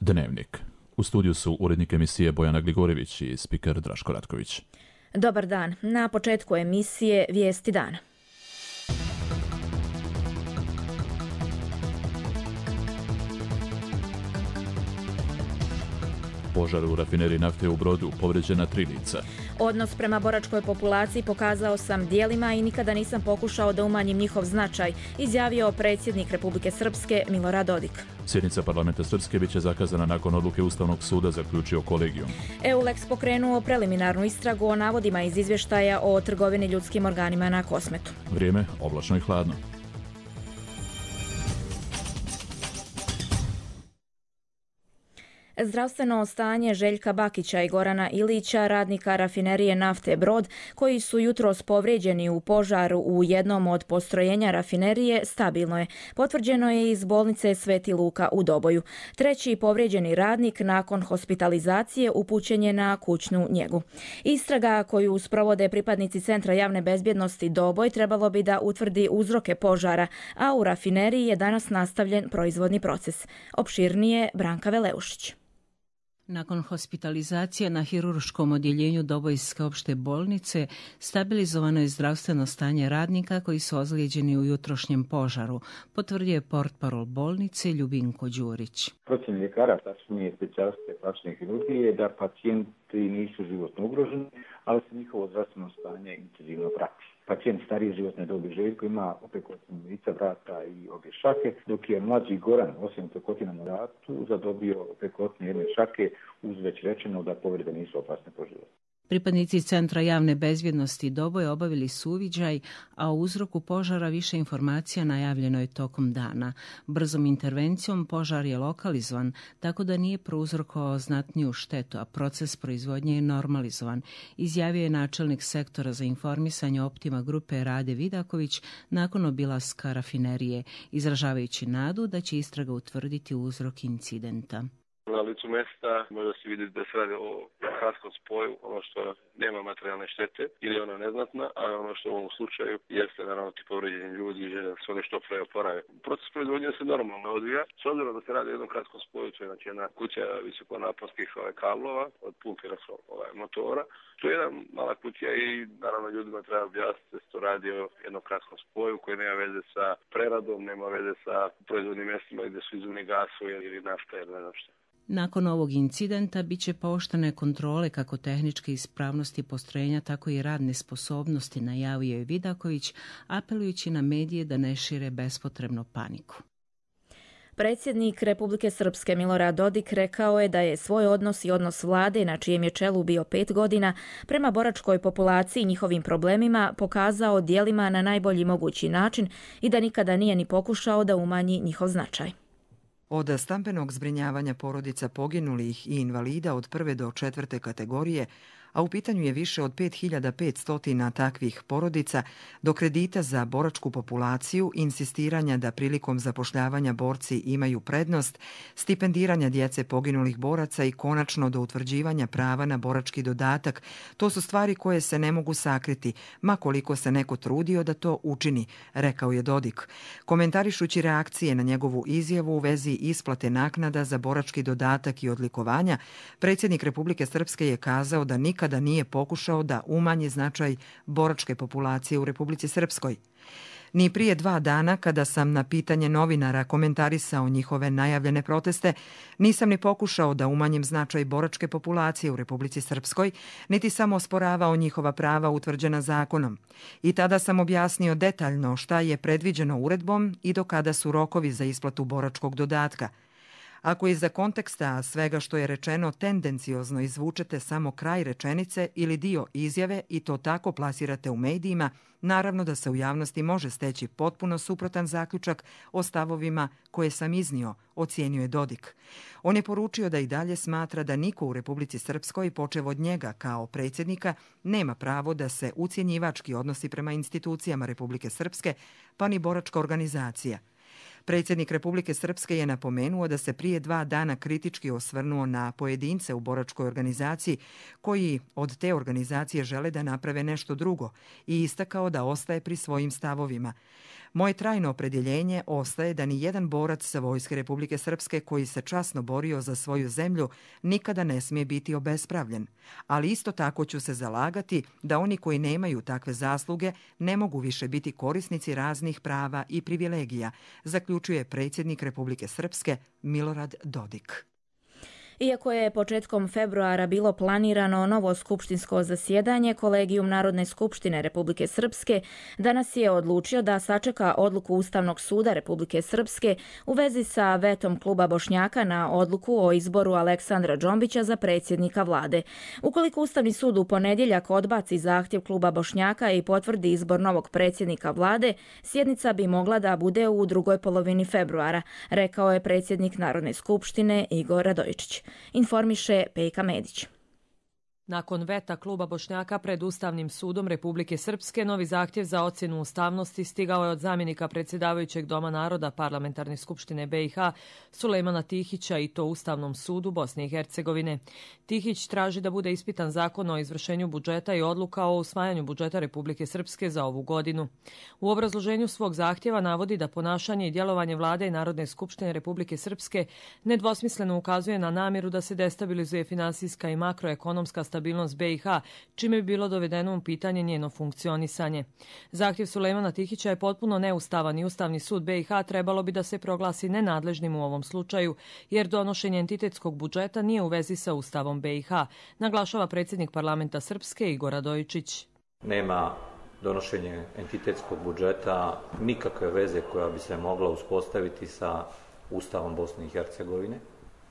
Dnevnik. U studiju su urednik emisije Bojana Gligorjević i spiker Draško Ratković. Dobar dan. Na početku emisije Vijesti dana. Požar u rafineriji nafte u Brodu, povrijeđena 3 lica. Odnos prema boračkoj populaciji pokazao sam djelima i nikada nisam pokušao da umanjim njihov značaj, izjavio predsjednik Republike Srpske Milorad Dodik. Sjednica parlamenta Srpske bit će zakazana nakon odluke Ustavnog suda, zaključio kolegijum. EULEX pokrenuo preliminarnu istragu o navodima iz izvještaja o trgovini ljudskim organima na Kosmetu. Vrijeme oblačno i hladno. Zdravstveno stanje Željka Bakića i Gorana Ilića, radnika rafinerije nafte Brod, koji su jutros povrijeđeni u požaru u jednom od postrojenja rafinerije, stabilno je. Potvrđeno je iz bolnice Sveti Luka u Doboju. Treći povrijeđeni radnik nakon hospitalizacije upućen je na kućnu njegu. Istraga koju sprovode pripadnici Centra javne bezbjednosti Doboj trebalo bi da utvrdi uzroke požara, a u rafineriji je danas nastavljen proizvodni proces. Opširnije Branka Veleušić. Nakon hospitalizacije na hirurškom odjeljenju Dobojske opšte bolnice stabilizovano je zdravstveno stanje radnika koji su ozlijeđeni u jutrošnjem požaru, potvrdio je portparol bolnice Ljubinko Đurić. Procjena ljekara, tačnije specijaliste plastične hirurgije, da pacijenti nisu životno ugroženi, ali se njihovo zdravstveno stanje intenzivno prati. Pacijent starije životne dobi Željko ima opekotinu lica, vrata i obje šake, dok je mlađi Goran, osim opekotina na vratu, zadobio opekotine jedne šake, uz već rečeno da povrede nisu opasne po život. Pripadnici Centra javne bezbjednosti Doboj obavili su uviđaj, a o uzroku požara više informacija najavljeno je tokom dana. Brzom intervencijom požar je lokalizovan, tako da nije prouzrokovao znatniju štetu, a proces proizvodnje je normalizovan, izjavio je načelnik sektora za informisanje Optima grupe Rade Vidaković nakon obilaska rafinerije, izražavajući nadu da će istraga utvrditi uzrok incidenta. Na licu mjesta može se vidjeti da se radi o kratskom spoju, ono što nema materijalne štete ili ona neznatna, a ono što u ovom slučaju jeste naravno ti povrijeđeni ljudi i žele se one što pre oporave. Proces proizvodnje se normalno odvija, s obzirom da se radi o jednom kratkom spoju, to je znači jedna kuća visokonaponskih kablova od pumpira motora. To je jedna mala kuća i naravno ljudima treba objasniti da se to radi o jednom kratkom spoju koji nema veze sa preradom, nema veze sa proizvodnim mjestima gdje su izumni gasovi ili nafta ili ne znam što. Nakon ovog incidenta bit će pooštrene kontrole kako tehničke ispravnosti postrojenja, tako i radne sposobnosti, najavio je Vidaković, apelujući na medije da ne šire bespotrebno paniku. Predsjednik Republike Srpske Milorad Dodik rekao je da je svoj odnos i odnos vlade, na čijem je čelu bio 5 godina, prema boračkoj populaciji i njihovim problemima pokazao djelima na najbolji mogući način i da nikada nije ni pokušao da umanji njihov značaj. Od stambenog zbrinjavanja porodica poginulih i invalida od 1. do 4. kategorije, a u pitanju je više od 5500 takvih porodica, do kredita za boračku populaciju, insistiranja da prilikom zapošljavanja borci imaju prednost, stipendiranja djece poginulih boraca i konačno do utvrđivanja prava na borački dodatak, to su stvari koje se ne mogu sakriti, ma koliko se neko trudio da to učini, rekao je Dodik. Komentarišući reakcije na njegovu izjavu u vezi isplate naknada za borački dodatak i odlikovanja, predsjednik Republike Srpske je kazao da nikada nije pokušao da umanji značaj boračke populacije u Republici Srpskoj. Ni prije 2 dana, kada sam na pitanje novinara komentarisao njihove najavljene proteste, nisam ni pokušao da umanjim značaj boračke populacije u Republici Srpskoj, niti sam osporavao njihova prava utvrđena zakonom. I tada sam objasnio detaljno šta je predviđeno uredbom i do kada su rokovi za isplatu boračkog dodatka. Ako iza konteksta svega što je rečeno tendenciozno izvučete samo kraj rečenice ili dio izjave i to tako plasirate u medijima, naravno da se u javnosti može steći potpuno suprotan zaključak o stavovima koje sam iznio, ocijenio je Dodik. On je poručio da i dalje smatra da niko u Republici Srpskoj, počev od njega kao predsjednika, nema pravo da se ucjenjivački odnosi prema institucijama Republike Srpske, pa ni boračka organizacija. Predsjednik Republike Srpske je napomenuo da se prije 2 dana kritički osvrnuo na pojedince u boračkoj organizaciji koji od te organizacije žele da naprave nešto drugo i istakao da ostaje pri svojim stavovima. Moje trajno opredjeljenje ostaje da ni jedan borac Vojske Republike Srpske koji se časno borio za svoju zemlju nikada ne smije biti obespravljen, ali isto tako ću se zalagati da oni koji nemaju takve zasluge ne mogu više biti korisnici raznih prava i privilegija, zaključuje predsjednik Republike Srpske Milorad Dodik. Iako je početkom februara bilo planirano novo skupštinsko zasjedanje, Kolegijum Narodne skupštine Republike Srpske danas je odlučio da sačeka odluku Ustavnog suda Republike Srpske u vezi sa vetom Kluba Bošnjaka na odluku o izboru Aleksandra Džombića za predsjednika vlade. Ukoliko Ustavni sud u ponedjeljak odbaci zahtjev Kluba Bošnjaka i potvrdi izbor novog predsjednika vlade, sjednica bi mogla da bude u drugoj polovini februara, rekao je predsjednik Narodne skupštine Igor Radojičić. Informiše Pejka Medić. Nakon veta Kluba Bošnjaka pred Ustavnim sudom Republike Srpske, novi zahtjev za ocjenu ustavnosti stigao je od zamjenika predsjedavajućeg Doma naroda Parlamentarne skupštine BiH Sulejmana Tihića i to Ustavnom sudu Bosne i Hercegovine. Tihić traži da bude ispitan zakon o izvršenju budžeta i odluka o usvajanju budžeta Republike Srpske za ovu godinu. U obrazloženju svog zahtjeva navodi da ponašanje i djelovanje vlade i Narodne skupštine Republike Srpske nedvosmisleno ukazuje na namjeru da se destabilizuje finansijska i makroekonomska stabilnost BiH, čime bi bilo dovedeno u pitanje njeno funkcionisanje. Zahtjev Sulejmana Tihića je potpuno neustavan i Ustavni sud BiH trebalo bi da se proglasi nenadležnim u ovom slučaju, jer donošenje entitetskog budžeta nije u vezi sa Ustavom BiH, naglašava predsjednik parlamenta Srpske Igor Radojičić. Nema donošenje entitetskog budžeta nikakve veze koja bi se mogla uspostaviti sa Ustavom Bosne i Hercegovine.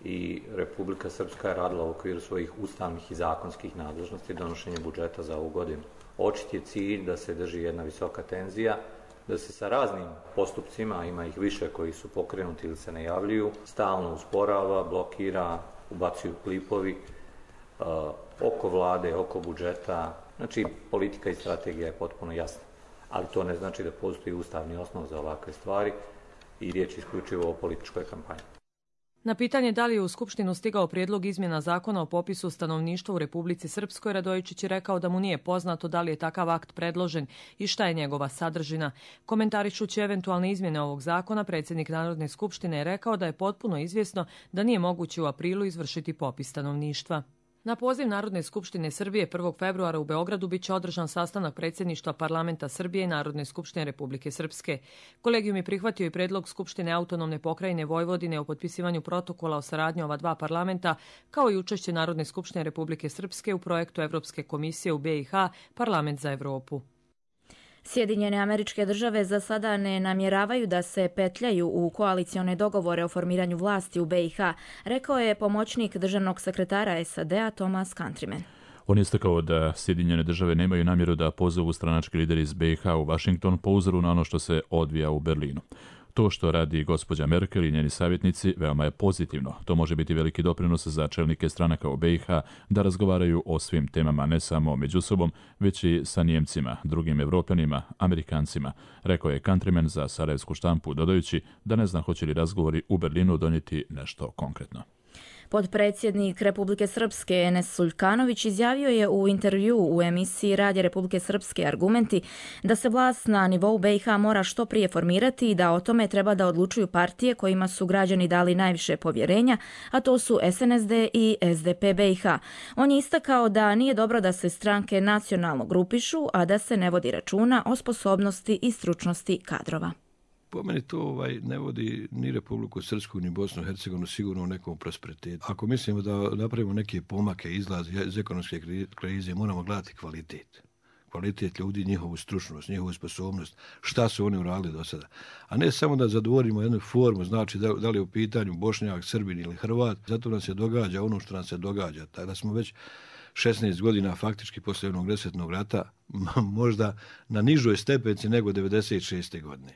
I Republika Srpska je radila u okviru svojih ustavnih i zakonskih nadležnosti donošenje budžeta za ovu godinu. Očit je cilj da se drži jedna visoka tenzija, da se sa raznim postupcima, ima ih više koji su pokrenuti ili se najavljuju, stalno usporava, blokira, ubacuju klipovi oko vlade, oko budžeta. Znači, politika i strategija je potpuno jasna, ali to ne znači da postoji ustavni osnov za ovakve stvari i riječ je isključivo o političkoj kampanji. Na pitanje da li je u Skupštinu stigao prijedlog izmjena zakona o popisu stanovništva u Republici Srpskoj, Radojičić je rekao da mu nije poznato da li je takav akt predložen i šta je njegova sadržina. Komentarišući eventualne izmjene ovog zakona, predsjednik Narodne skupštine je rekao da je potpuno izvjesno da nije moguće u aprilu izvršiti popis stanovništva. Na poziv Narodne skupštine Srbije 1. februara u Beogradu biće održan sastanak predsjedništva Parlamenta Srbije i Narodne skupštine Republike Srpske. Kolegijum je prihvatio i predlog Skupštine autonomne pokrajine Vojvodine o potpisivanju protokola o saradnji ova dva parlamenta, kao i učešće Narodne skupštine Republike Srpske u projektu Evropske komisije u BiH Parlament za Evropu. Sjedinjene Američke Države za sada ne namjeravaju da se petljaju u koalicione dogovore o formiranju vlasti u BiH, rekao je pomoćnik državnog sekretara SAD-a Thomas Countryman. On je istakao da Sjedinjene Države nemaju namjeru da pozovu stranački lideri iz BiH u Washington po uzoru na ono što se odvija u Berlinu. To što radi gospođa Merkel i njeni savjetnici veoma je pozitivno. To može biti veliki doprinos za čelnike stranaka u BiH da razgovaraju o svim temama, ne samo među sobom, već i sa Nijemcima, drugim Evropljanima, Amerikancima, rekao je Countryman za sarajevsku štampu, dodajući da ne zna hoće li razgovori u Berlinu donijeti nešto konkretno. Potpredsjednik Republike Srpske Enes Suljkanović izjavio je u intervju u emisiji Radija Republike Srpske Argumenti da se vlast na nivou BiH mora što prije formirati i da o tome treba da odlučuju partije kojima su građani dali najviše povjerenja, a to su SNSD i SDP BiH. On je istakao da nije dobro da se stranke nacionalno grupišu, a da se ne vodi računa o sposobnosti i stručnosti kadrova. Po meni to ne vodi ni Republiku Srpsku ni Bosnu i Hercegovinu sigurno u nekom prosperitetu. Ako mislimo da napravimo neke pomake, izlaz iz ekonomske krize, moramo gledati kvalitet. Kvalitet ljudi, njihovu stručnost, njihovu sposobnost, šta su oni uradili do sada. A ne samo da zadovoljimo jednu formu, znači da li je u pitanju Bošnjak, Srbin ili Hrvat, zato nam se događa ono što nam se događa. Tako da smo već 16 godina faktički poslije onog 10. rata možda na nižoj stepenci nego 96. godine.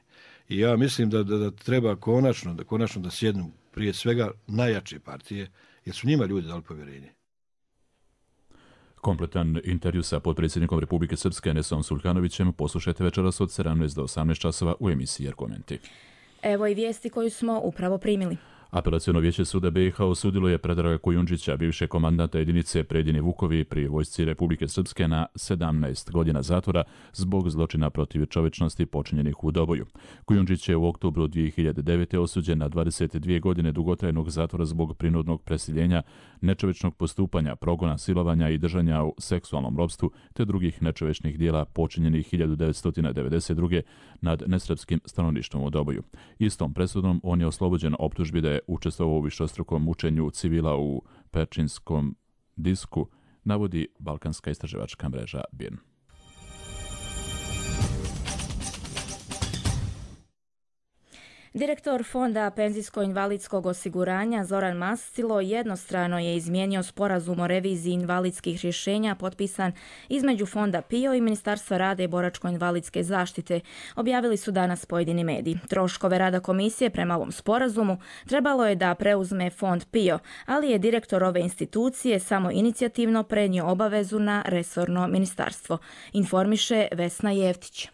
I ja mislim da treba konačno da sjednu prije svega najjače partije, jer su njima ljudi dali povjerenje. Kompletan intervju sa potpredsjednikom Republike Srpske Enesom Suljkanovićem poslušajte večeras od 17 do 18 časova u emisiji Argumenti. Evo i vijesti koju smo upravo primili. Apelaciono vijeće suda BiH osudilo je Predraga Kujundžića, bivšeg komandanta jedinice Predini Vukovi pri vojsci Republike Srpske, na 17 godina zatvora zbog zločina protiv čovječnosti počinjenih u Doboju. Kujundžić je u oktobru 2009. osuđen na 22 godine dugotrajnog zatvora zbog prinudnog preseljenja, nečovječnog postupanja, progona, silovanja i držanja u seksualnom ropstvu te drugih nečovječnih dijela počinjenih 1992. nad nesrpskim stanovništvom u Doboju. Istom presudom on je oslobođen optužbi da je učestvovao u višestrukom mučenju civila u Perčinskom disku, navodi balkanska istraživačka mreža BIRN. Direktor Fonda penzijsko-invalidskog osiguranja Zoran Mastilo jednostrano je izmijenio sporazum o reviziji invalidskih rješenja potpisan između Fonda PIO i Ministarstva rada i boračko-invalidske zaštite, objavili su danas pojedini mediji. Troškove rada komisije prema ovom sporazumu trebalo je da preuzme Fond PIO, ali je direktor ove institucije samo inicijativno prenio obavezu na resorno ministarstvo, informiše Vesna Jevtić.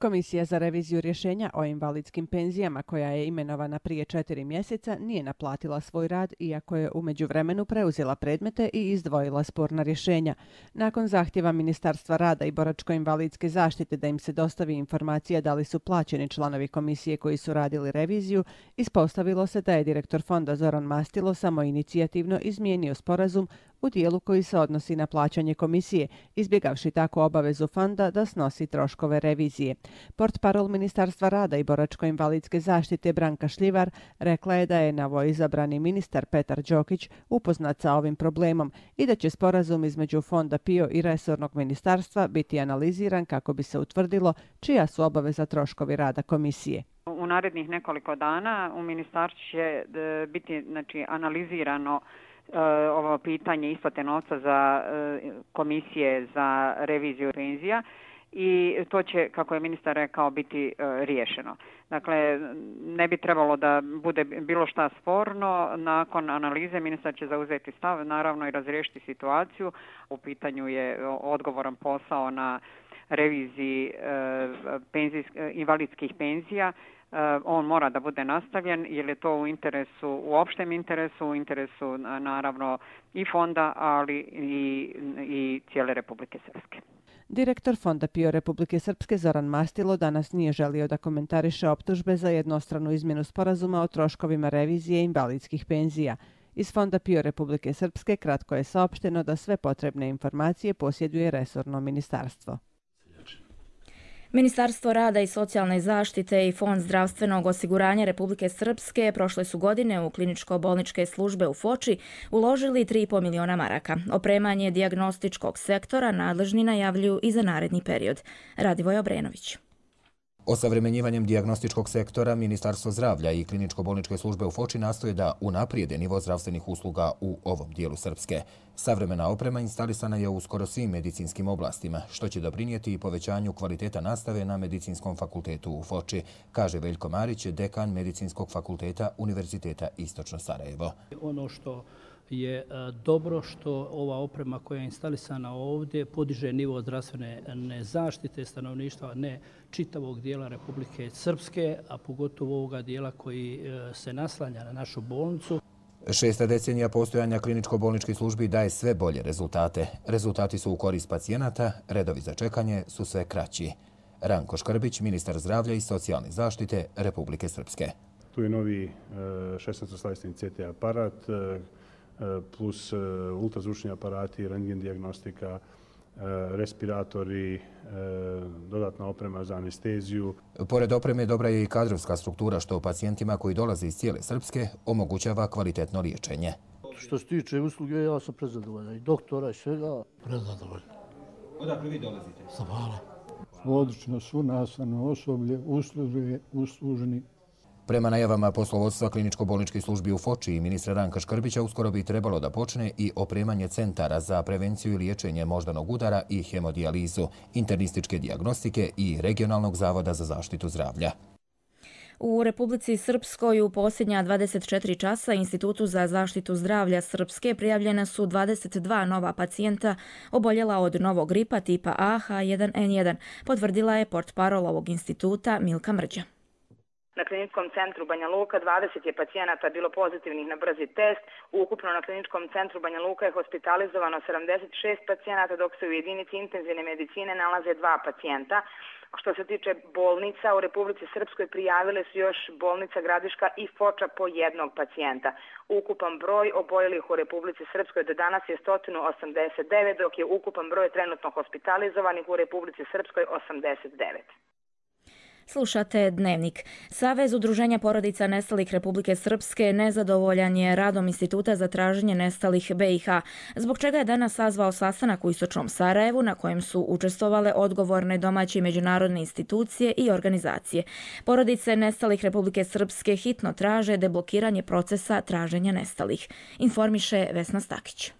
Komisija za reviziju rješenja o invalidskim penzijama, koja je imenovana prije 4 mjeseca, nije naplatila svoj rad, iako je u međuvremenu preuzela predmete i izdvojila sporna rješenja. Nakon zahtjeva Ministarstva rada i boračko-invalidske zaštite da im se dostavi informacija da li su plaćeni članovi komisije koji su radili reviziju, ispostavilo se da je direktor fonda Zoran Mastilo samoinicijativno izmijenio sporazum u dijelu koji se odnosi na plaćanje komisije, izbjegavši tako obavezu fonda da snosi troškove revizije. Portparol Ministarstva rada i boračko-invalidske zaštite Branka Šljivar rekla je da je novoizabrani ministar Petar Đokić upoznat sa ovim problemom i da će sporazum između Fonda PIO i resornog ministarstva biti analiziran kako bi se utvrdilo čija su obaveza troškovi rada komisije. U narednih nekoliko dana u ministarstvu će biti analizirano ovo pitanje isplate novca za komisije za reviziju penzija i to će, kako je ministar rekao, biti riješeno. Dakle, ne bi trebalo da bude bilo šta sporno. Nakon analize ministar će zauzeti stav, naravno i razriješiti situaciju. U pitanju je odgovoran posao na reviziji invalidskih penzija. On mora da bude nastavljen jer je to u opštem interesu, u interesu naravno i fonda, ali i cijele Republike Srpske. Direktor Fonda PIO Republike Srpske Zoran Mastilo danas nije želio da komentariše optužbe za jednostranu izmjenu sporazuma o troškovima revizije invalidskih penzija. Iz Fonda PIO Republike Srpske kratko je saopšteno da sve potrebne informacije posjeduje resorno ministarstvo. Ministarstvo rada i socijalne zaštite i Fond zdravstvenog osiguranja Republike Srpske prošle su godine u kliničko-bolničke službe u Foči uložili 3,5 miliona maraka. Opremanje dijagnostičkog sektora nadležni najavljuju i za naredni period. Radivoj Obrenović. Osavremenjivanjem dijagnostičkog sektora, Ministarstvo zdravlja i kliničko-bolničke službe u Foči nastoje da unaprijede nivo zdravstvenih usluga u ovom dijelu Srpske. Savremena oprema instalisana je u skoro svim medicinskim oblastima, što će doprinijeti i povećanju kvaliteta nastave na Medicinskom fakultetu u Foči, kaže Veljko Marić, dekan Medicinskog fakulteta Univerziteta Istočno Sarajevo. Ono što je dobro što ova oprema koja je instalisana ovdje podiže nivo zdravstvene zaštite stanovništva ne čitavog dijela Republike Srpske, a pogotovo ovoga dijela koji se naslanja na našu bolnicu. 6. decenija postojanja kliničko-bolničkih službi daje sve bolje rezultate. Rezultati su u korist pacijenata, redovi za čekanje su sve kraći. Ranko Škrbić, ministar zdravlja i socijalne zaštite Republike Srpske. Tu je novi 16-slavstven CT aparat, plus ultrazvučni aparati, rentgen dijagnostika, respiratori, dodatna oprema za anesteziju. Pored opreme dobra je i kadrovska struktura što pacijentima koji dolaze iz cijele Srpske omogućava kvalitetno liječenje. Što se tiče usluge, ja sam prezadovoljan. I doktora i svega, prezadovoljan. Odakle vi dolazite? Sa Vala. Odlično, svu nastavno osoblje, usluženi. Prema najavama poslovodstva kliničko-bolničkih službi u Foči i ministra Ranka Škrbića uskoro bi trebalo da počne i opremanje centara za prevenciju i liječenje moždanog udara i hemodijalizu, internističke dijagnostike i regionalnog zavoda za zaštitu zdravlja. U Republici Srpskoj u posljednja 24 časa Institutu za zaštitu zdravlja Srpske prijavljena su 22 nova pacijenta oboljela od novog gripa tipa A H1N1, potvrdila je portparol ovog instituta Milka Mrđa. Na kliničkom centru Banja Luka 20 je pacijenata bilo pozitivnih na brzi test. Ukupno na kliničkom centru Banja Luka je hospitalizovano 76 pacijenata, dok se u jedinici intenzivne medicine nalaze 2 pacijenta. Što se tiče bolnica, u Republici Srpskoj prijavile su još bolnica Gradiška i Foča po 1 pacijenta. Ukupan broj oboljelih u Republici Srpskoj do danas je 189, dok je ukupan broj trenutno hospitalizovanih u Republici Srpskoj 89. Slušate Dnevnik. Savez udruženja porodica nestalih Republike Srpske nezadovoljan je radom Instituta za traženje nestalih BiH, zbog čega je danas sazvao sastanak u istočnom Sarajevu na kojem su učestvovale odgovorne domaće i međunarodne institucije i organizacije. Porodice nestalih Republike Srpske hitno traže deblokiranje procesa traženja nestalih, informiše Vesna Stakić.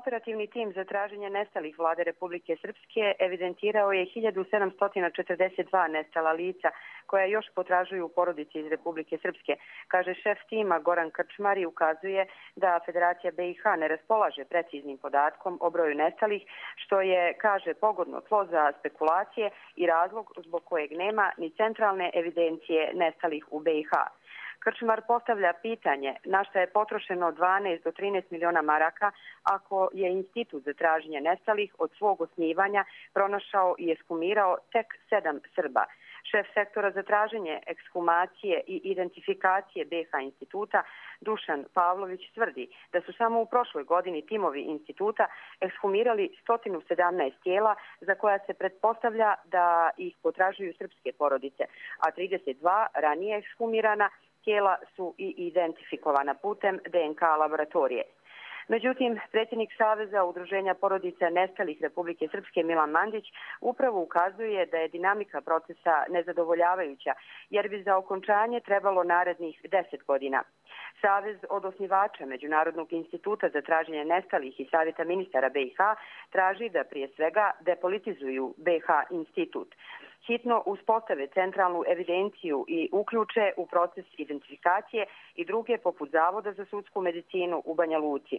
Operativni tim za traženje nestalih Vlade Republike Srpske evidentirao je 1742 nestala lica koja još potražuju porodici iz Republike Srpske. Kaže šef tima Goran Krčmar i ukazuje da Federacija BiH ne raspolaže preciznim podatkom o broju nestalih, što je, kaže, pogodno tlo za spekulacije i razlog zbog kojeg nema ni centralne evidencije nestalih u BiH. Krčmar postavlja pitanje na šta je potrošeno 12 do 13 miliona maraka ako je Institut za traženje nestalih od svog osnivanja pronašao i ekshumirao tek 7 Srba. Šef sektora za traženje ekshumacije i identifikacije BiH instituta Dušan Pavlović tvrdi da su samo u prošloj godini timovi instituta ekshumirali 117 tijela za koja se pretpostavlja da ih potražuju srpske porodice, a 32 ranije ekshumirana tijela su i identifikovana putem DNK laboratorije. Međutim, predsjednik Saveza udruženja porodica nestalih Republike Srpske Milan Mandić upravo ukazuje da je dinamika procesa nezadovoljavajuća, jer bi za okončanje trebalo narednih 10 godina. Savez od osnivača Međunarodnog instituta za traženje nestalih i Savjeta ministara BiH traži da prije svega depolitizuju BiH institut, hitno uspostave centralnu evidenciju i uključe u proces identifikacije i druge poput Zavoda za sudsku medicinu u Banja Luci.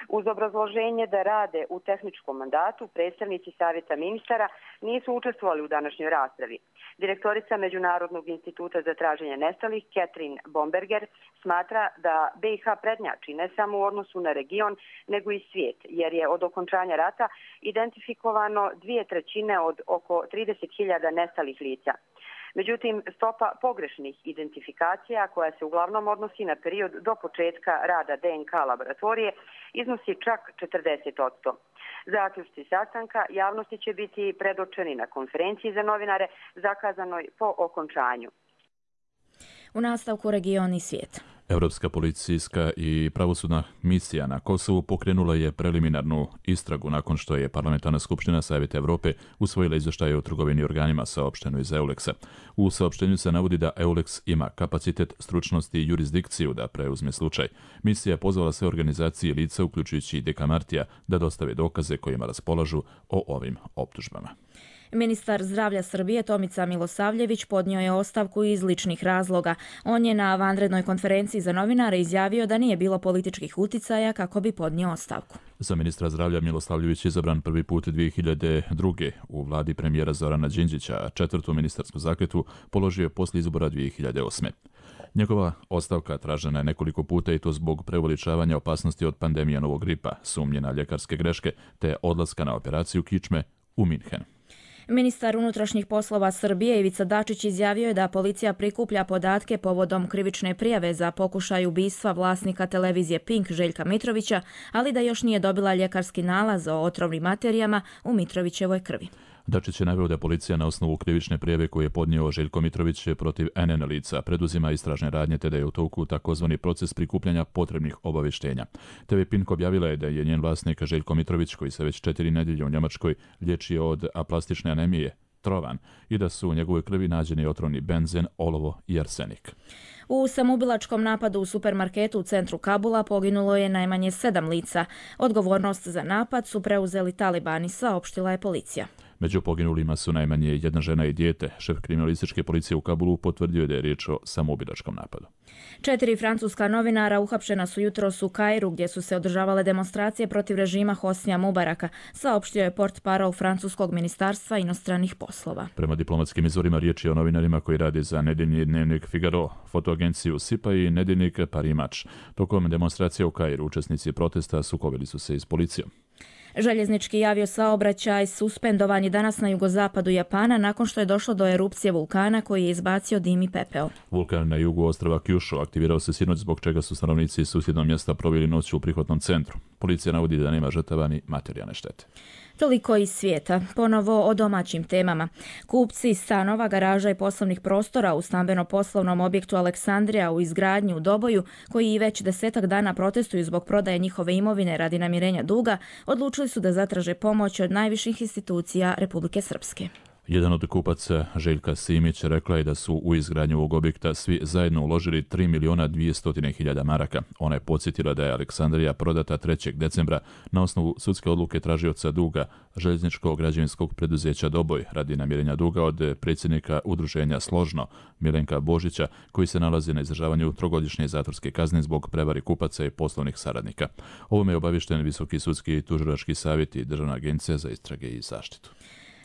Uz obrazloženje da rade u tehničkom mandatu, predstavnici Savjeta ministara nisu učestvovali u današnjoj raspravi. Direktorica Međunarodnog instituta za traženje nestalih, Catherine Bomberger, smatra da BiH prednjači ne samo u odnosu na region, nego i svijet, jer je od okončanja rata identifikovano 2/3 od oko 30.000 nestalih lica. Međutim, stopa pogrešnih identifikacija, koja se uglavnom odnosi na period do početka rada DNK laboratorije, iznosi čak 40%. Zaključci sastanka javnosti će biti predočeni na konferenciji za novinare zakazanoj po okončanju. U nastavku region i svijet. Europska policijska i pravosudna misija na Kosovu pokrenula je preliminarnu istragu nakon što je Parlamentarna skupština Savjeta Evrope usvojila izvještaje o trgovini organima saopšteno iz EULEX-a. U saopštenju se navodi da EULEX ima kapacitet, stručnost i jurisdikciju da preuzme slučaj. Misija je pozvala sve organizacije i lica, uključujući i Deka Martija, da dostave dokaze kojima raspolažu o ovim optužbama. Ministar zdravlja Srbije Tomica Milosavljević podnio je ostavku iz ličnih razloga. On je na vanrednoj konferenciji za novinare izjavio da nije bilo političkih uticaja kako bi podnio ostavku. Za ministra zdravlja Milosavljević je izabran prvi put 2002. u vladi premijera Zorana Đinđića, a 4. ministarsku zakletvu položio je poslije izbora 2008. Njegova ostavka tražena je nekoliko puta i to zbog preuveličavanja opasnosti od pandemije novog gripa, sumnje na ljekarske greške te odlaska na operaciju kičme u Minhen. Ministar unutrašnjih poslova Srbije Ivica Dačić izjavio je da policija prikuplja podatke povodom krivične prijave za pokušaj ubistva vlasnika televizije Pink Željka Mitrovića, ali da još nije dobila ljekarski nalaz o otrovnim materijama u Mitrovićevoj krvi. Dačić je naveo da policija na osnovu krivične prijave koju je podnio Željko Mitrović protiv NN lica preduzima istražne radnje te da je u toku takozvani proces prikupljanja potrebnih obavještenja. TV Pink objavila je da je njen vlasnik Željko Mitrović, koji se već 4 nedjelje u Njemačkoj liječio od aplastične anemije, trovan, i da su u njegovoj krvi nađeni otrovni benzen, olovo i arsenik. U samoubilačkom napadu u supermarketu u centru Kabula poginulo je najmanje 7 lica. Odgovornost za napad su preuzeli talibani, saopštila je policija. Među poginulima su najmanje jedna žena i dijete. Šef kriminalističke policije u Kabulu potvrdio je da je riječ o samoubilačkom napadu. 4 francuska novinara uhapšena su jutros u Kairu gdje su se održavale demonstracije protiv režima Hosnija Mubaraka, saopštio je portparol francuskog ministarstva inostranih poslova. Prema diplomatskim izvorima riječ je o novinarima koji rade za nedeljni dnevnik Figaro, fotoagenciju Sipa i nedeljnik Paris Match. Tokom demonstracija u Kairu učesnici protesta sukobili su se i s policijom. Željeznički aviosaobraćaj suspendovan je danas na jugozapadu Japana nakon što je došlo do erupcije vulkana koji je izbacio dim i pepeo. Vulkan na jugu ostrva Kyushu aktivirao se sinoć zbog čega su stanovnici susjednog mjesta proveli noć u prihvatnom centru. Policija navodi da nema žrtava ni materijalne štete. Toliko iz svijeta. Ponovo o domaćim temama. Kupci stanova, garaža i poslovnih prostora u stambeno-poslovnom objektu Aleksandrija u izgradnji u Doboju, koji već 10 dana protestuju zbog prodaje njihove imovine radi namirenja duga, odlučili su da zatraže pomoć od najviših institucija Republike Srpske. Jedan od kupaca, Željka Simić, rekla je da su u izgradnju ovog objekta svi zajedno uložili 3.200.000 maraka. Ona je podsjetila da je Aleksandrija prodata 3. decembra na osnovu sudske odluke tražioca duga željezničkog građevinskog preduzeća Doboj radi namirenja duga od predsjednika udruženja Složno, Milenka Božića, koji se nalazi na izdržavanju 3-godišnje zatvorske kazne zbog prevari kupaca i poslovnih saradnika. Ovome je obavješten Visoki sudski i tužilački savjet i Državna agencija za istrage i zaštitu.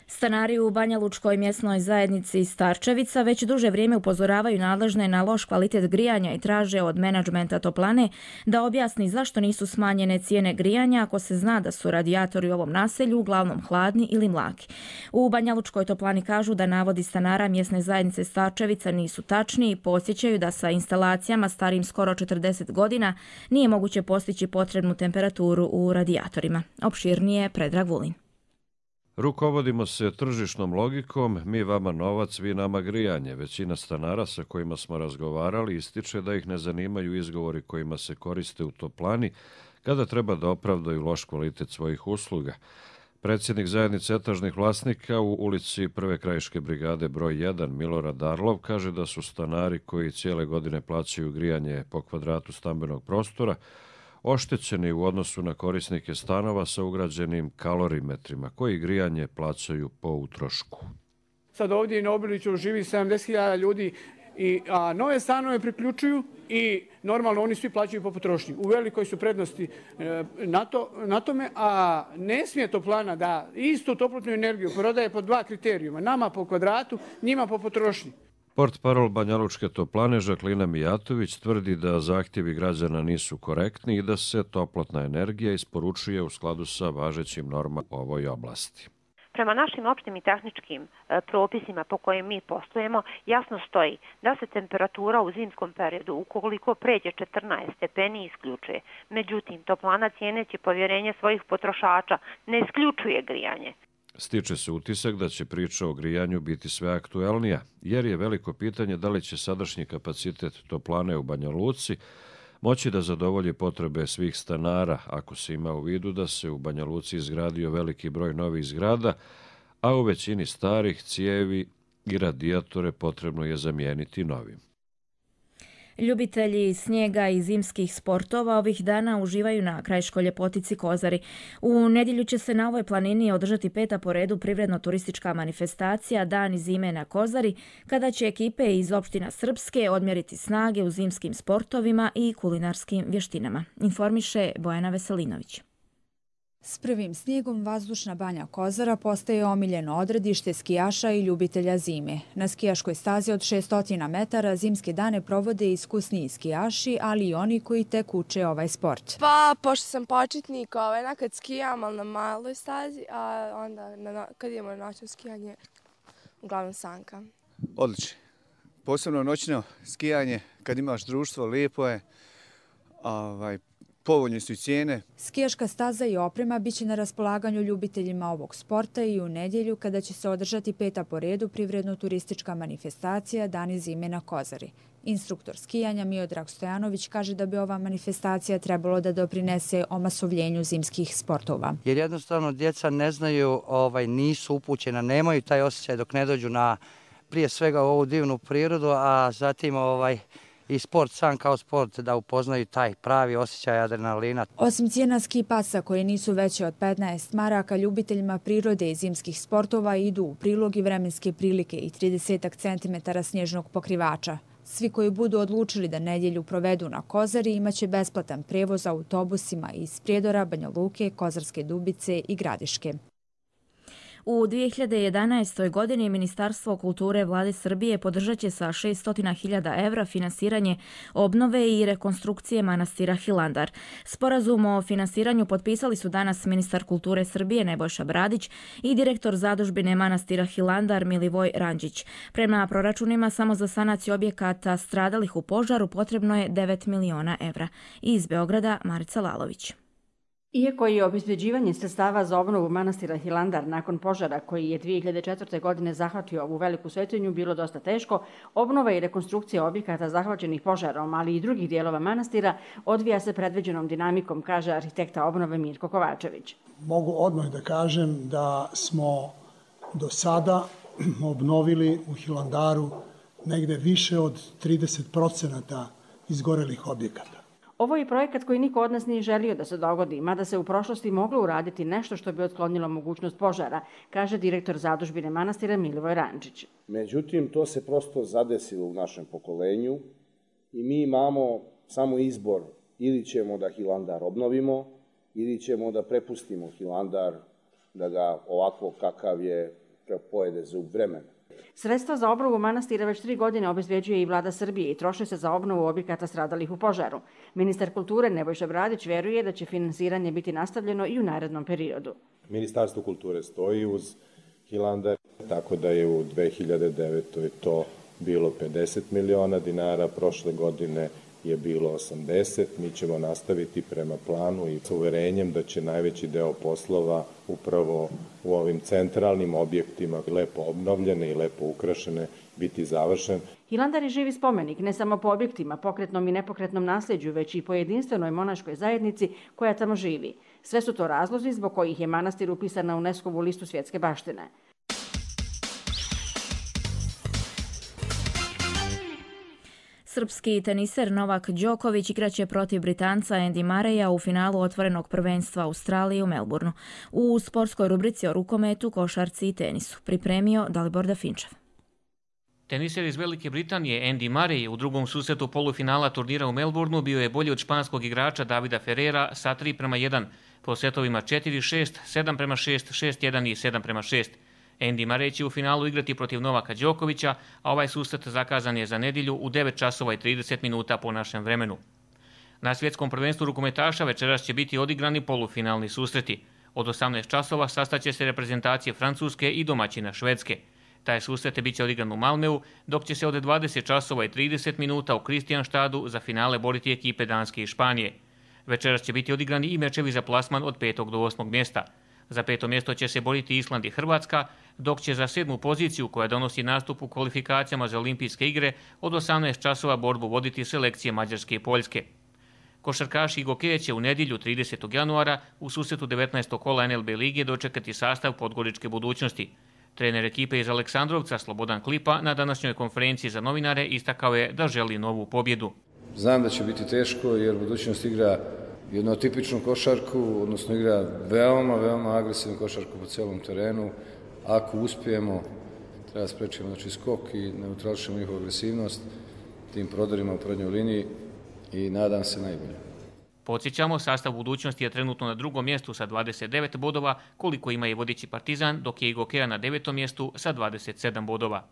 Stanari u Banjalučkoj mjesnoj zajednici Starčevica već duže vrijeme upozoravaju nadležne na loš kvalitet grijanja i traže od menadžmenta toplane da objasni zašto nisu smanjene cijene grijanja ako se zna da su radijatori u ovom naselju uglavnom hladni ili mlaki. U Banjalučkoj toplani kažu da navodi stanara mjesne zajednice Starčevica nisu tačni i podsjećaju da sa instalacijama starim skoro 40 godina nije moguće postići potrebnu temperaturu u radijatorima. Opširnije Predrag Vulin. Rukovodimo se tržišnom logikom, mi vama novac, vi nama grijanje. Većina stanara sa kojima smo razgovarali ističe da ih ne zanimaju izgovori kojima se koriste u toplani kada treba da opravdaju loš kvalitet svojih usluga. Predsjednik zajednice etažnih vlasnika u ulici Prve krajiške brigade broj 1 Milorad Darlov kaže da su stanari koji cijele godine plaćaju grijanje po kvadratu stambenog prostora oštećeni u odnosu na korisnike stanova sa ugrađenim kalorimetrima koji grijanje plaćaju po utrošku. Sad ovdje na Obiliću živi 70.000 ljudi, a nove stanove priključuju i normalno oni svi plaćaju po potrošnji. U velikoj su prednosti na tome, a ne smije toplana da istu toplotnu energiju prodaje po 2 kriterijuma. Nama po kvadratu, njima po potrošnji. Portparol Banjalučke toplane Žaklina Mijatović tvrdi da zahtjevi građana nisu korektni i da se toplotna energija isporučuje u skladu sa važećim normama u ovoj oblasti. Prema našim opštim i tehničkim propisima po kojim mi poslujemo, jasno stoji da se temperatura u zimskom periodu, ukoliko pređe 14 stepeni, isključuje. Međutim, toplana cijeneći povjerenje svojih potrošača ne isključuje grijanje. Stiče se utisak da će priča o grijanju biti sve aktuelnija, jer je veliko pitanje da li će sadašnji kapacitet toplane u Banja Luci moći da zadovolji potrebe svih stanara, ako se ima u vidu da se u Banja Luci izgradio veliki broj novih zgrada, a u većini starih cijevi i radijatore potrebno je zamijeniti novim. Ljubitelji snijega i zimskih sportova ovih dana uživaju na krajiškoj ljepotici Kozari. U nedjelju će se na ovoj planini održati 5. po redu privredno-turistička manifestacija Dani zime na Kozari, kada će ekipe iz opština Srpske odmjeriti snage u zimskim sportovima i kulinarskim vještinama. Informiše Bojana Veselinović. S prvim snijegom vazdušna banja Kozara postaje omiljeno odredište skijaša i ljubitelja zime. Na skijaškoj stazi od 600 metara zimske dane provode iskusniji skijaši, ali i oni koji tek uče ovaj sport. Pa, pošto sam početnik, nekad skijam, ali na maloj stazi, a onda kad idemo na noćno skijanje, uglavnom sanka. Odlično. Posebno noćno skijanje, kad imaš društvo, lijepo je. Povoljne su i cijene. Skijaška staza i oprema biće na raspolaganju ljubiteljima ovog sporta i u nedjelju kada će se održati 5. po redu privredno-turistička manifestacija Dani zime na Kozari. Instruktor skijanja Miodrag Stojanović kaže da bi ova manifestacija trebalo da doprinese omasovljenju zimskih sportova. Jer jednostavno djeca ne znaju, nisu upućena, nemaju taj osjećaj dok ne dođu na prije svega ovu divnu prirodu, a zatim i sport sam kao sport da upoznaju taj pravi osjećaj adrenalina. Osim cijena ski pasa koje nisu veće od 15 maraka, ljubiteljima prirode i zimskih sportova idu u prilog i vremenske prilike i 30 cm snježnog pokrivača. Svi koji budu odlučili da nedjelju provedu na Kozari imaće besplatan prevoz autobusima iz Prijedora, Banja Luke, Kozarske Dubice i Gradiške. U 2011. godini Ministarstvo kulture Vlade Srbije podržat će sa 600.000 evra finansiranje obnove i rekonstrukcije manastira Hilandar. Sporazum o finansiranju potpisali su danas ministar kulture Srbije Nebojša Bradić i direktor zadužbine manastira Hilandar Milivoj Ranđić. Prema proračunima samo za sanaciju objekata stradalih u požaru potrebno je 9 miliona evra. Iz Beograda Marica Lalović. Iako je obezbeđivanje sredstava za obnovu manastira Hilandar nakon požara koji je 2004. godine zahvatio ovu veliku svetinju bilo dosta teško, obnova i rekonstrukcija objekata zahvaćenih požarom, ali i drugih dijelova manastira odvija se predviđenom dinamikom, kaže arhitekta obnove Mirko Kovačević. Mogu odmah da kažem da smo do sada obnovili u Hilandaru negde više od 30% izgorelih objekata. Ovo je projekat koji niko od nas nije želio da se dogodi, mada se u prošlosti moglo uraditi nešto što bi otklonilo mogućnost požara, kaže direktor zadužbine manastira Milivoj Ranđić. Međutim, to se prosto zadesilo u našem pokolenju i mi imamo samo izbor, ili ćemo da Hilandar obnovimo, ili ćemo da prepustimo Hilandar da ga ovako kakav je pojede zub vremena. Sredstva za obnovu manastira već 3 godine obezbeđuje i Vlada Srbije i troše se za obnovu objekata stradalih u požaru. Ministar kulture Nebojša Bradić veruje da će finansiranje biti nastavljeno i u narednom periodu. Ministarstvo kulture stoji uz Hilandar, tako da je u 2009. to bilo 50 miliona dinara, prošle godine je bilo 80. Mi ćemo nastaviti prema planu i s uverenjem da će najveći deo poslova upravo u ovim centralnim objektima, lepo obnovljene i lepo ukrašene, biti završen. Hilandar je živi spomenik ne samo po objektima, pokretnom i nepokretnom nasljeđu, već i po jedinstvenoj monaškoj zajednici koja tamo živi. Sve su to razlozi zbog kojih je manastir upisan na UNESCO-vu listu svjetske baštine. Srpski teniser Novak Đoković igraće protiv Britanca Andy Murraya u finalu otvorenog prvenstva Australije u Melbourneu. U sportskoj rubrici o rukometu, košarci i tenisu pripremio Dalibor Dafinčev. Teniser iz Velike Britanije Andy Murray u drugom susretu polufinala turnira u Melbourneu bio je bolji od španskog igrača Davida Ferrera sa 3:1, po setovima 4-6, 7:6, 6:1 i 7:6. Andy Murray će u finalu igrati protiv Novaka Đokovića, a ovaj susret zakazan je za nedjelju u 9:30 po našem vremenu. Na svjetskom prvenstvu rukometaša večeras će biti odigrani polufinalni susreti. Od 18 časova sastaće se reprezentacije Francuske i domaćina Švedske. Taj susret bit će odigran u Malmeu, dok će se od 20:30 u Kristijanštadu za finale boriti ekipe Danske i Španije. Večeras će biti odigrani i mečevi za plasman od 5. do 8. mjesta. Za 5. mjesto će se boriti Island i Hrvatska, dok će za 7. poziciju koja donosi nastup u kvalifikacijama za olimpijske igre od 18 časova borbu voditi selekcije Mađarske i Poljske. Košarkaši i gokeje će u nedjelju 30. januara u susretu 19. kola NLB lige dočekati sastav Podgoričke budućnosti. Trener ekipe iz Aleksandrovca Slobodan Klipa na današnjoj konferenciji za novinare istakao je da želi novu pobjedu. Znam da će biti teško jer budućnost igra jednu tipičnu košarku, odnosno igra veoma agresivnu košarku po cijelom terenu. Ako uspijemo, treba sprečimo skok i neutrališemo njihovu agresivnost tim prodorima u prednjoj liniji i nadam se najbolje. Podsjećamo, sastav budućnosti je trenutno na 2. mjestu sa 29 bodova, koliko ima i vodeći Partizan, dok je i Gokeja na 9. mjestu sa 27 bodova.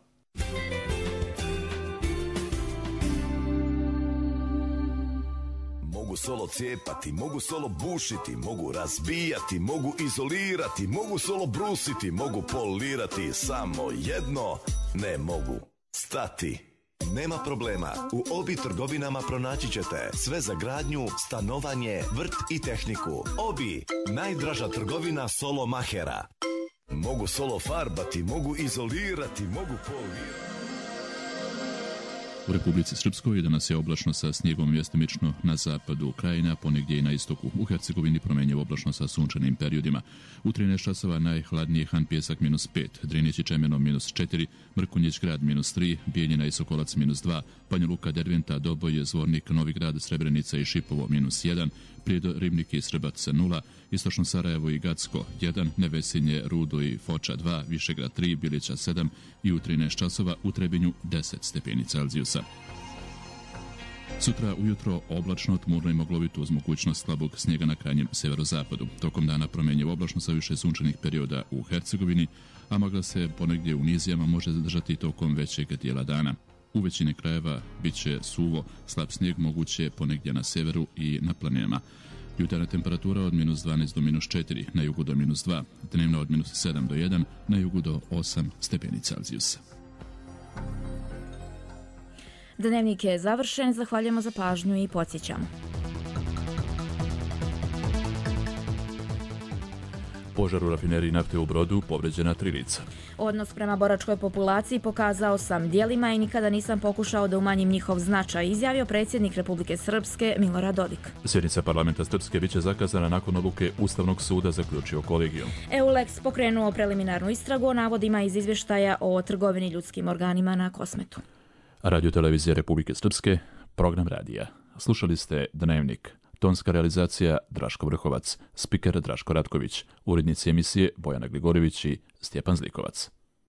Mogu solo cijepati, mogu solo bušiti, mogu razbijati, mogu izolirati, mogu solo brusiti, mogu polirati, samo jedno ne mogu stati. Nema problema, u Obi trgovinama pronaći ćete sve za gradnju, stanovanje, vrt i tehniku. Obi, najdraža trgovina solo mahera. Mogu solo farbati, mogu izolirati, mogu polirati. U Republici Srpskoj danas je oblačno sa snijegom mjestimično na zapadu krajina, ponegdje i na istoku. U Hercegovini promjenjivo oblačno sa sunčanim periodima. U 13 časova najhladnije Han Pjesak -5, Drinić i Čemeno -4, Mrkonjić grad -3, Bijeljina i Sokolac -2, Banja Luka, Derventa, Doboj, Zvornik, Novi Grad, Srebrenica i Šipovo -1, Prijedo, Ribnik i Srbac 0, Istočno Sarajevo i Gacko 1, Nevesinje, Rudo i Foča 2, Višegrad 3, Bilića 7 i u 13 časova u Trebinju 10 stepeni Celzijusa. Sutra ujutro oblačno, tmurno i maglovito uz mogućnost slabog snijega na krajnjem severozapadu. Tokom dana promjenjivo oblačno sa više sunčanih perioda u Hercegovini, a magla se ponegdje u nizijama može zadržati tokom većeg dijela dana. U većini krajeva bit će suvo, slab snijeg moguće ponegdje na severu i na planinama. Jutarnja temperatura od -12 do -4, na jugu do -2, dnevna od -7 do 1, na jugu do 8 stepeni Celzijusa. Dnevnik je završen, zahvaljujemo za pažnju i podsjećamo. Požar u rafineriji nafte u Brodu, povređena 3 lica. Odnos prema boračkoj populaciji pokazao sam djelima i nikada nisam pokušao da umanjim njihov značaj, izjavio predsjednik Republike Srpske Milorad Dodik. Sjednica parlamenta Srpske biće zakazana nakon odluke Ustavnog suda, zaključio kolegijum. EULEX pokrenuo preliminarnu istragu o navodima iz izvještaja o trgovini ljudskim organima na Kosmetu. Radio televizija Republike Srpske, program radija. Slušali ste Dnevnik. Tonska realizacija Draško Vrhovac, spiker Draško Ratković, urednici emisije Bojana Gligorivić i Stjepan Zlikovac.